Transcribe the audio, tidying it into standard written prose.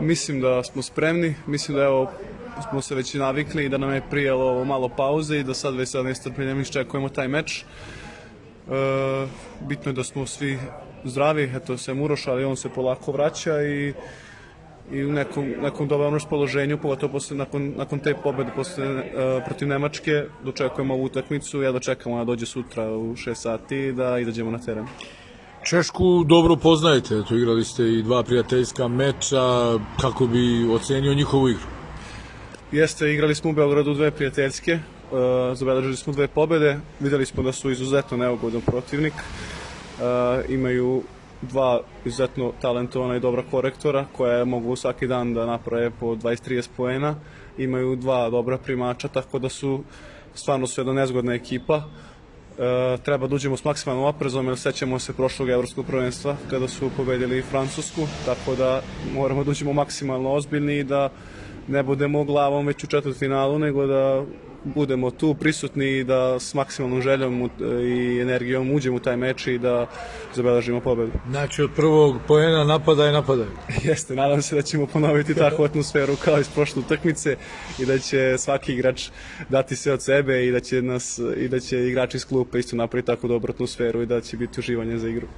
Mislim da smo spremni, mislim da evo smo se već navikli i da nam je prijelo ovo malo pauze i da sad već sa nestrpljenjem iščekujemo taj meč. Bitno je da smo svi zdravi, eto se Uroš, ali on se polako vraća i u nekom dobrom raspoloženju, pogotovo nakon te pobede protiv Nemačke, dočekujemo ovu utakmicu, ja dočekamo da dođe sutra u 6 sati i da izađemo na teren. Češku dobro poznajete, tu igrali ste i 2 prijateljska meča, kako bi ocenio njihovu igru? Jeste, igrali smo u Beogradu 2 prijateljske, zabeležili smo 2 pobede, videli smo da su izuzetno neugodan protivnik, imaju 2 izuzetno talentovana i dobra korektora koje mogu svaki dan da naprave po 20-30 poena, imaju 2 dobra primača, tako da su stvarno jedna nezgodna ekipa. Treba da uđemo s maksimalnom oprezom, jer sećamo se prošlog evropskog prvenstva kada su pobedili Francusku, tako da moramo da uđemo maksimalno ozbiljni i da ne budemo glavom već u četvrtfinalu, nego da budemo tu prisutni i da s maksimalnom željom i energijom uđemo u taj meč i da zabeležimo pobedu. Znači od prvog poena napadaj. Jeste, nadam se da ćemo ponoviti takvu atmosferu kao iz prošle utakmice i da će svaki igrač dati sve od sebe i da će igrači iz klupe isto napraviti tako dobru atmosferu i da će biti uživanje za igru.